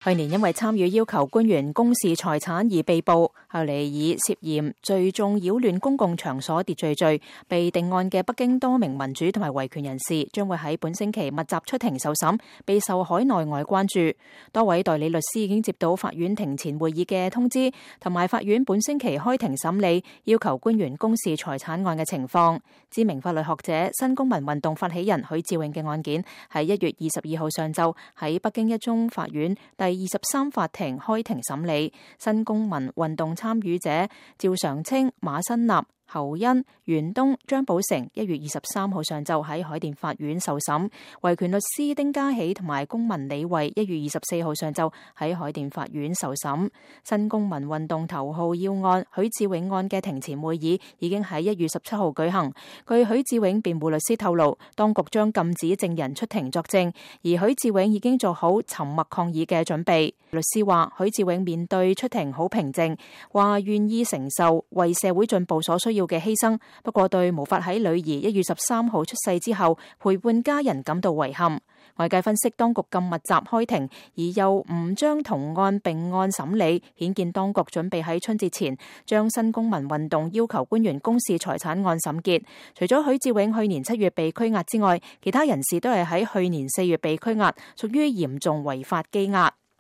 去年因為參與要求官員公示財產而被捕，後嚟以涉嫌聚眾擾亂公共場所秩序罪被定案嘅北京多名民主同埋維權人士，將會喺本星期密集出庭受審，備受海內外關注。多位代理律師已經接到法院庭前會議嘅通知，同埋法院本星期開庭審理要求官員公示財產案嘅情況。知名法律學者、新公民運動發起人許志永嘅案件喺1月22號上晝喺北京一中法院第23法庭開庭審理，新公民運動參與者趙常清、馬新立、侯恩、袁東、張寶成1月23號上晝喺海淀法院受審，維權律師丁家喜同埋公民李慧1月24號上晝喺海淀法院受審。新公民運動頭號要案許志永案嘅庭前會議已經喺1月17號舉行。據許志永辯護律師透露，當局將禁止證人出庭作證，而許志永已經做好沉默抗議嘅準備。律師話許志永面對出庭好平靜，話願意承受為社會進步所需要嘅犧牲，不過對無法喺女兒1月13號出世之後陪伴家人感到遺憾。外界分析，當局咁密集開庭，而又唔將同案並案審理，顯見當局準備喺春節前將新公民運動要求官員公示財產案審結。除咗許志永去年7月被拘押之外，其他人士都係喺去年4月被拘押，屬於嚴重違法羈押。